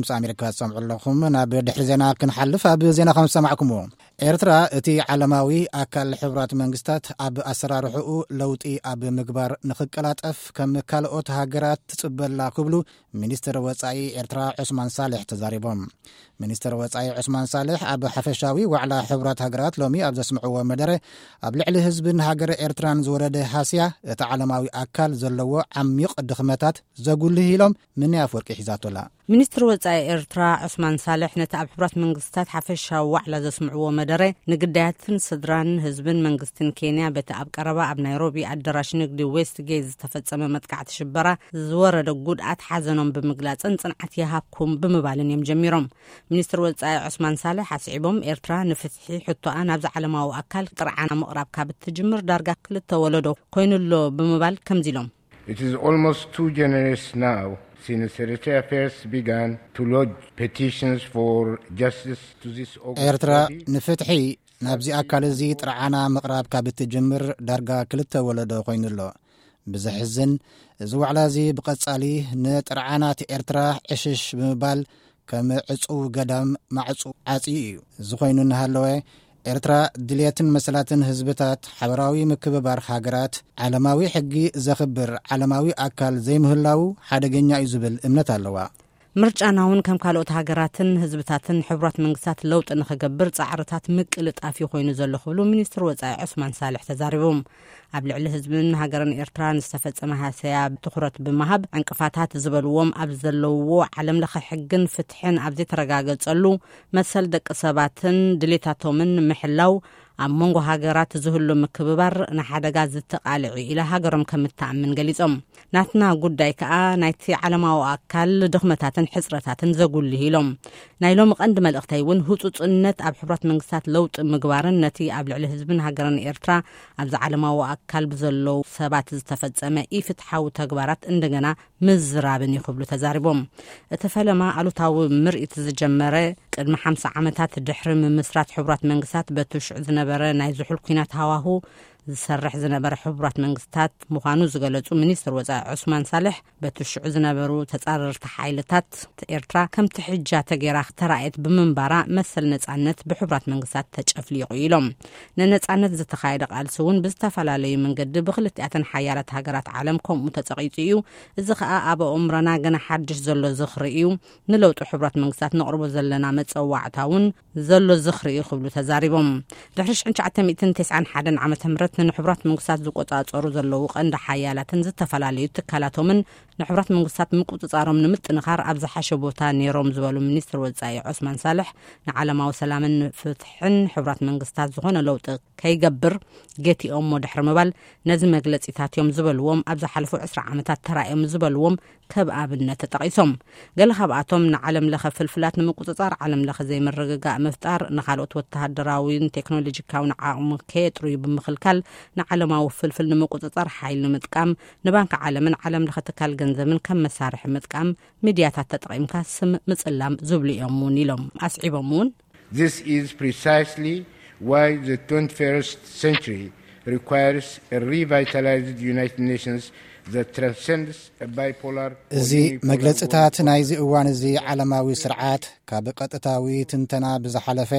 ምስ ኣሜሪካ ትሰምዑ ኣለኹም። ናብ ድሕሪ ዜና ክንሓልፍ፣ ኣብ ዜና ከም ዝሰማዕኩምዎ፣ ኤርትራ እቲ ዓለማዊ ኣካል ሕቡራት መንግስታት ኣብ ኣሰራርሕኡ ለውጢ ኣብ ምግባር ንኽቀላጠፍ ከም ካልኦት ሃገራት ትጽበላ ክብሉ ሚኒስትር ወጻኢ ኤርትራ ዑስማን ሳልሕ ተዛሪቦም። ሚኒስትር ወጻኢ ዑስማን ሳልሕ ኣብ ሓፈሻዊ ዋዕላ ሕቡራት ሃገራት ሎሚ ኣብ ዘስምዕዎ መደረ፣ ኣብ ልዕሊ ህዝብን ሃገር ኤርትራን ዝወረደ ሃስያ እቲ ዓለማዊ ኣካል ዘለዎ ዓሚቕ ድኽመታት ዘጉልህ ኢሎም። ምንያ ኣፍወርቂ ሒዛቶላ። ሚኒስትር ወጻኢ ኤርትራ ዑስማን ሳልሕ ነቲ ኣብ ሕቡራት መንግስታት ሓፈሻዊ ዋዕላ ዘስምዕዎ መደረ፣ ንግዳያትን ስድራን ህዝብን መንግስትን ኬንያ በቲ ኣብ ቀረባ ኣብ ናይሮቢ ኣዳራሽ ንግዲ ዌስት ጌት ዝተፈጸመ መጥቃዕቲ ሽበራ ዝወረደ ጉድኣት ሓዘኖም ብምግላጽን ጽንዓት ይሃብኩም ብምባልን እዮም ጀሚሮም። ሚኒስትር ወጻኢ ዑስማን ሳልሕ ኣስዒቦም፣ ኤርትራ ንፍትሒ ሕቶኣ ናብዚ ዓለማዊ ኣካል ጥርዓና ምቕራብ ካብ እትጅምር ዳርጋ ክልተ ወለዶ ኮይኑሎ ብምባል ከምዚ ኢሎም። It is almost two generations now since Eritrea first began to lodge petitions for justice to this august ኤርትራ body. ንፍትሒ ናብዚ ኣካል እዚ ጥርዓና ምቕራብ ካብ እትጅምር ዳርጋ ክልተ ወለዶ ኮይኑሎ። ብዘሕዝን፣ እዚ ዋዕላ እዚ ብቐጻሊ ንጥርዓናት ኤርትራ ዕሽሽ ብምባል ከም ዕጹው ገዳም ማዕጹ ዓጽዩ እዩ። እዚ ኮይኑ እናሃለወ፣ ኤርትራ ድልየትን መሰላትን ህዝብታት፣ ሓበራዊ ምክብባር ሃገራት፣ ዓለማዊ ሕጊ ዘኽብር ዓለማዊ ኣካል ዘይምህላዉ ሓደገኛ እዩ ዝብል እምነት ኣለዋ። ምርጫና እውን ከም ካልኦት ሃገራትን ህዝብታትን ሕቡራት መንግስታት ለውጢ ንኽገብር ጻዕርታት ምቅልጣፍ እዩ ኮይኑ ዘሎ ክብሉ ሚኒስትር ወጻኢ ዑስማን ሳልሕ ተዛሪቦም። ኣብ ልዕሊ ህዝብን ሃገርን ኤርትራ ንዝተፈጸመ ሃሰያ ትኹረት ብምሃብ፣ ዕንቅፋታት ዝበልዎም ኣብ ዘለውዎ ዓለም ለኸ ሕግን ፍትሕን ኣብ ዘይተረጋገጸሉ፣ መሰል ደቂ ሰባትን ድሌታቶምን ምሕላው ኣብ መንጎ ሃገራት ዝህሉ ምክብባር ንሓደጋ ዝተቓልዕ እዩ ኢላ ሃገሮም ከም እትኣምን ገሊጾም። ናትና ጉዳይ ከኣ ናይቲ ዓለማዊ ኣካል ድኽመታትን ሕጽረታትን ዘጉልህ ኢሎም። ናይ ሎሚ ቀንዲ መልእኽተይ እውን ህጹጽነት ኣብ ሕቡራት መንግስታት ለውጢ ምግባርን ነቲ ኣብ ልዕሊ ህዝብን ሃገርን ኤርትራ ኣብዚ ዓለማዊ ኣካል ብዘለዉ ሰባት ዝተፈጸመ ኢፍትሓዊ ተግባራት እንደገና ምዝራብን እዩ ክብሉ ተዛሪቦም። እቲ ፈለማ ኣሉታዊ ምርኢት ዝጀመረ ቅድሚ ሓምሳ ዓመታት ድሕሪ ምምስራት ሕቡራት መንግስታት በቲ ሽዑ ዝነበረ ናይ ዝሑል ኲናት ሃዋሁ ዝሰርሕ ዝነበረ ሕቡራት መንግስታት ምዃኑ ዝገለጹ ሚኒስትር ወጻኢ ዑስማን ሳልሕ፣ በቲ ሽዑ ዝነበሩ ተጻረርቲ ሓይልታት ኤርትራ ከምቲ ሕጃ ተገይራ ተራእየት ብምንባራ መሰል ነጻነት ብሕቡራት መንግስታት ተጨፍሊቑ ኢሎም። ንነጻነት ዝተኻየደ ቃልሲ እውን ብዝተፈላለዩ መንገዲ ብክልቲኣተን ሓያላት ሃገራት ዓለም ከምኡ ተጸቒጡ እዩ። እዚ ኸኣ ኣብ ኣእምሮና ገና ሓድሽ ዘሎ ዝኽሪ እዩ። ንለውጢ ሕቡራት መንግስታት ነቕርቦ ዘለና መጸዋዕታ እውን ዘሎ ዝኽሪ እዩ ክብሉ ተዛሪቦም። ድሕሪ ሽሕን ትሽዓተ ሚእትን ተስዓን ሓደን ዓመተ ምህረት ንሕቡራት መንግስታት ዝቆጻጸሩ ዘለዉ ቀንዲ ሓያላትን ዝተፈላለዩ ትካላቶምን ንሕቡራት መንግስታት ምቁጽጻሮም ንምጥንኻር ኣብ ዝሓሸ ቦታ ነይሮም ዝበሉ ሚኒስትር ወጻኢ ዑስማን ሳልሕ፣ ንዓለማዊ ሰላምን ፍትሕን ሕቡራት መንግስታት ዝኾነ ለውጢ ከይገብር ገቲኦሞ ድሕሪ ምባል፣ ነዚ መግለጺታት እዮም ዝበልዎም ኣብ ዝሓለፉ ዕስራ ዓመታት ተራእዮም ዝበልዎም ከም ኣብነት ተጠቒሶም። ገለ ካብኣቶም ንዓለም ለኸ ፍልፍላት ንምቁጽጻር ዓለም ለኸ ዘይምርግጋእ ምፍጣር፣ ንኻልኦት ወተሃደራዊን ቴክኖሎጂካውን ዓቕሚ ከየጥርዩ ብምኽልካል፣ ንዓለማዊ ፍልፍል ንምቁጽጻር ሓይሊ ምጥቃም፣ ንባንክ ዓለምን ዓለም ለኸ ትካል ገንዘብን ከም መሳርሒ ምጥቃም፣ ሚድያታት ተጠቒምካ ስም ምጽላም ዝብሉ እዮም እውን ኢሎም። ኣስዒቦም እውን፣ This is precisely why the twenty-first century requires a revitalized United Nations that transcends a bipolar እዚ or unipolar መግለጽታት world ናይዚ እዋን እዚ ዓለማዊ ስርዓት ካብ ቀጥታዊ ትንተና ብዝሓለፈ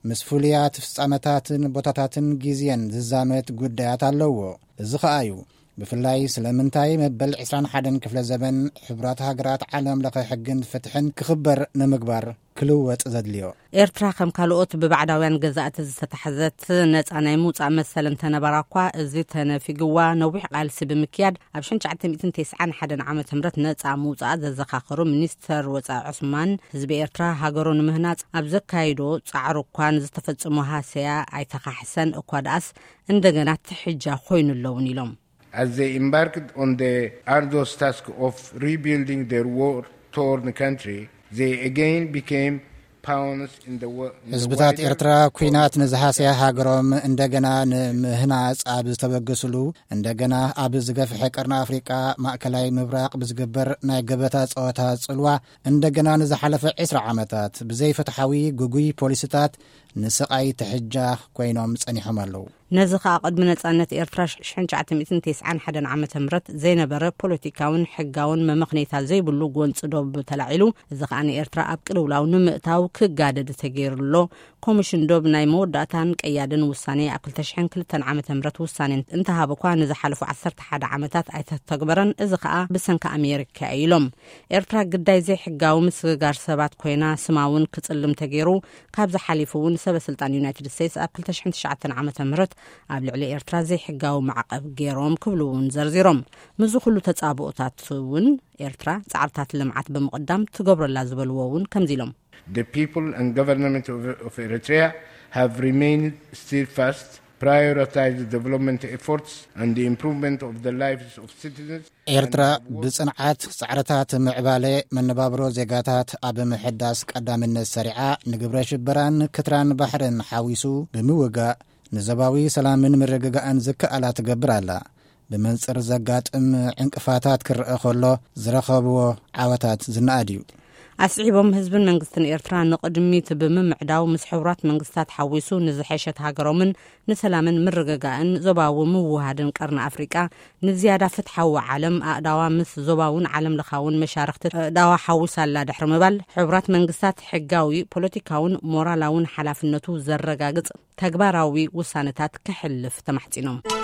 ምስ ፍሉያት ፍጻመታትን ቦታታትን ግዜን ዝዛመት ጉዳያት ኣለዎ። እዚ ኸኣ እዩ ብፍላይ ስለምንታይ መበል ዕስራን ሓደን ክፍለ ዘበን ሕቡራት ሃገራት ዓለም ለኸ ሕግን ፍትሕን ክኽበር ንምግባር ክልወጥ ዘድልዮ። ኤርትራ ከም ካልኦት ብባዕዳውያን ገዛእቲ ዝተታሕዘት ነጻ ናይ ምውጻእ መሰል እንተነበራ እኳ፣ እዚ ተነፊግዋ ነዊሕ ቃልሲ ብምክያድ ኣብ ሽሕን ትሽዓተ ሚእትን ተስዓን ሓደን ዓመተ ምህረት ነጻ ምውጻኣ ዘዘኻኸሩ ሚኒስተር ወጻኢ ዑስማን፣ ህዝቢ ኤርትራ ሃገሩ ንምህናጽ ኣብ ዘካይዶ ጻዕሩ እኳ ንዝተፈጸሙ ሃሰያ ኣይተኻሕሰን እኳ ደኣስ እንደገና ትሕጃ ኮይኑ ኣለውን ኢሎም። As they embarked on the arduous task of rebuilding their war-torn country, they again became pawns in the wo- in the ህዝብታት wider ኤርትራ ኲናት ንዝሃሰያ ሃገሮም እንደገና ንምህናጽ ኣብ ዝተበገስሉ፣ እንደገና ኣብ ዝገፍሐ ቀርኒ ኣፍሪቃ ማእከላይ ምብራቕ ብዝግበር ናይ ገበታ ጸወታ ጽልዋ፣ እንደገና ንዝሓለፈ ዕስራ ዓመታት ብዘይፍትሓዊ ግጉይ ፖሊሲታት ንስቓይ ትሕጃ ኮይኖም ጸኒሖም ኣለዉ። ነዚ ከኣ ቅድሚ ነጻነት ኤርትራ ሽሕን ትሽዓተ ሚእትን ተስዓን ሓደን ዓመተ ምህረት ዘይነበረ ፖለቲካውን ሕጋውን መመኽነይታ ዘይብሉ ጎንጺ ዶብ ተላዒሉ፣ እዚ ከኣ ንኤርትራ ኣብ ቅልውላው ንምእታው ክጋደድ ተገይሩ ኣሎ። ኮሚሽን ዶብ ናይ መወዳእታን ቀያድን ውሳኔ ኣብ ክልተ ሽሕን ክልተን ዓመተ ምህረት ውሳኔ እንተሃበ እኳ፣ ንዝሓለፉ ዓሰርተ ሓደ ዓመታት ኣይተተግበረን። እዚ ከኣ ብሰንኪ ኣሜሪካ እዩ ኢሎም። ኤርትራ ግዳይ ዘይሕጋዊ ምስግጋር ሰባት ኮይና፣ ስማ እውን ክጽልም ተገይሩ። ካብዚ ሓሊፉ እውን ሰበ ስልጣን ዩናይትድ ስቴትስ ኣብ ክልተ ሽሕን ትሽዓተን ዓመተ ምህረት ኣብ ልዕሊ ኤርትራ ዘይሕጋዊ ማዕቐብ ገይሮም ክብሉ እውን ዘርዚሮም። ምስዚ ኩሉ ተጻብኦታት እውን ኤርትራ ጻዕርታት ልምዓት ብምቕዳም ትገብረላ ዝበልዎ እውን ከምዚ ኢሎም። The people and government of, of Eritrea have remained steadfast, prioritized development efforts and the improvement of the lives of citizens. ኤርትራ ብጽንዓት ጻዕርታት ምዕባለ መነባብሮ ዜጋታት ኣብ ምሕዳስ ቀዳምነት ሰሪዓ፣ ንግብረ ሽበራን ክትራን ባሕርን ሓዊሱ ብምውጋእ፣ ንዞባዊ ሰላምን ምርግጋእን ዝከኣላ ትገብር ኣላ። ብመንጽር ዘጋጥም ዕንቅፋታት ክረአ ከሎ፣ ዝረኸብዎ ዓወታት ዝነኣድ እዩ። ኣስዒቦም፣ ህዝብን መንግስትን ኤርትራ ንቕድሚት ብምምዕዳው፣ ምስ ሕቡራት መንግስታት ሓዊሱ ንዝሐሸት ሃገሮምን ንሰላምን ምርግጋእን ዞባዊ ምውሃድን ቀርኒ ኣፍሪቃ፣ ንዝያዳ ፍትሓዊ ዓለም ኣእዳዋ ምስ ዞባውን ዓለም ለኻውን መሻርኽቲ ኣእዳዋ ሓዊሳ ኣላ ድሕሪ ምባል፣ ሕቡራት መንግስታት ሕጋዊ፣ ፖለቲካውን ሞራላውን ሓላፍነቱ ዘረጋግጽ ተግባራዊ ውሳነታት ከሕልፍ ተማሕጺኖም።